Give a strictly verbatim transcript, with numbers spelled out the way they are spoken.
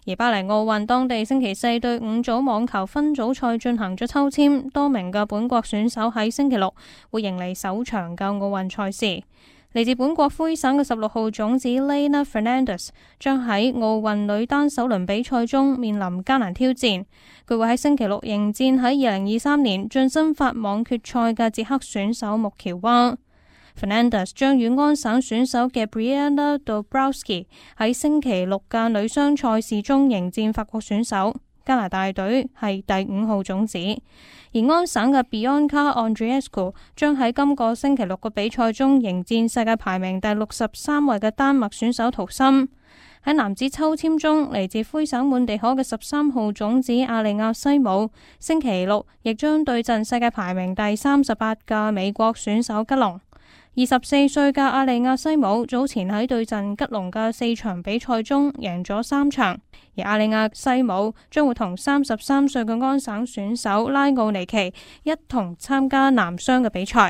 而巴黎奧運當地星期四對五組網球分組賽進行咗抽籤，多名嘅本國選手喺星期六會迎嚟首場嘅奧運賽事。嚟自本國魁省嘅十六號種子 Leylah Fernandez 將喺奧運女單首輪比賽中面臨艱難挑戰，佢會喺星期六迎戰喺二零二三年晉身法網決賽嘅捷克選手穆喬娃。Fernandez 將與安省選手嘅 Gabriela Dabrowski 喺星期六嘅女雙賽事中迎戰法國選手。加拿大隊係第五號種子，而安省嘅 Bianca Andreescu 將喺今個星期六嘅比賽中迎戰世界排名第六十三位嘅丹麥選手圖森。喺男子抽籤中，嚟自魁省滿地可嘅十三號種子阿利亞西姆，星期六亦將對陣世界排名第三十八嘅美國選手吉隆。二十四歲嘅阿利亞西姆早前喺對陣吉隆嘅四場比賽中贏咗三場，而阿利亞西姆將會同三十三歲嘅安省選手拉奧尼奇一同參加男雙嘅比賽。